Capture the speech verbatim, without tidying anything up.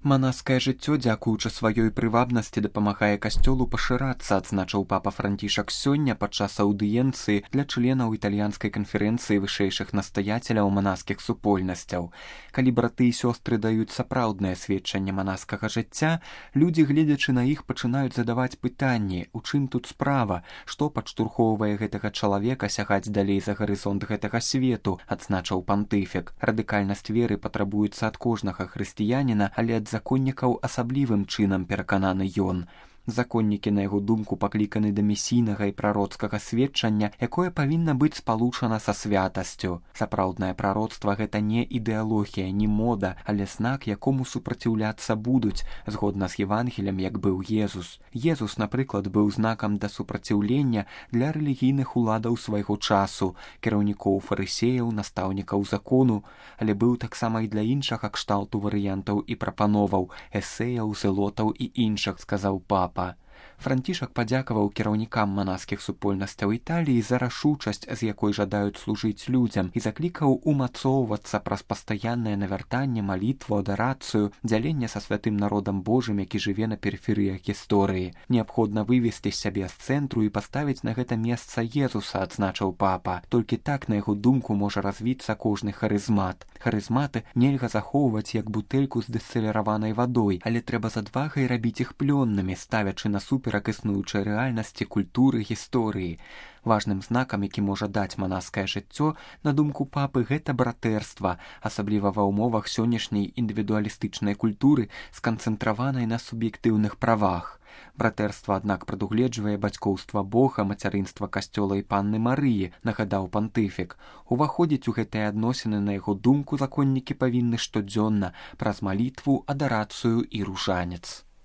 Манаскае жыццё, дзякуючы сваёй прывабнасці, дапамагае касцёлу пашырацца, адзначыў папа Францішак сёння падчас аўдыенцыі для членаў італьянскай канферэнцыі вышэйшых настаяцеляў манаскіх супольнасцяў. Калі браты і сёстры даюць сапраўднае сведчанне манаскага жыцця, людзі, гледзячы на іх, пачынаюць задаваць пытанні, у чым тут справа, што падштурхоўвае гэтага чалавека сягаць далей за гарызонт гэтага свету, адзначыў пантыфік. Радыкальнасць веры патрабуецца ад кожнага хрысціяніна, але ад законнікаў асаблівым чынам перакананы ён. Законнікі, на яго думку, пакліканы да місійнага і прароцкага сведчання, якое павінна быць спалучана са святасцю. Сапраўднае прароцтва — гэта не ідэалогія, не мода, але знак, якому супраціўляцца будуць, згодна з Евангелем, як быў Езус. Езус, напрыклад, быў знакам да супраціўлення для рэлігійных уладаў свайго часу, кіраўнікоў фарысеяў, настаўнікаў закону, але быў таксама і для іншага кшталту варыянтаў і прапановаў, эсэяў, зэлотаў і іншых, сказаў папа. Францішак падзякаваў кіраўнікам манаскіх супольнасцяў Італіі за рашучасць, з якой жадаюць служыць людзям, і заклікаў умацоўвацца праз пастаяннае навяртанне, малітву, адарацыю, дзяленне са святым народам Божым, які жыве на перыферыях гісторыі. Неабходна вывесці сябе з цэнтру і паставіць на гэта месца Езуса, адзначыў папа. Толькі так, на яго думку, можа развіцца кожны харызмат. Харызматы нельга захоўваць як бутэльку з дыстыліраванай вадой, але трэба з адвагай рабіць іх плённымі, ставячы насуперак існуючай рэальнасці, культуры, гісторыі. Важным знакам, які можа даць манаскае жыццё, на думку папы, гэта братэрства, асабліва ва ўмовах сённяшняй індывідуалістычнай культуры, сканцэнтраванай на суб'ектыўных правах. Братэрства, аднак, прадугледжвае бацькоўства Бога, мацярынства касцёла і панны Марыі, нагадаў пантыфік. Уваходзіць у гэтыя адносіны, на яго думку, законнікі павінны штодзённа праз малітву, адарацыю і ружанец.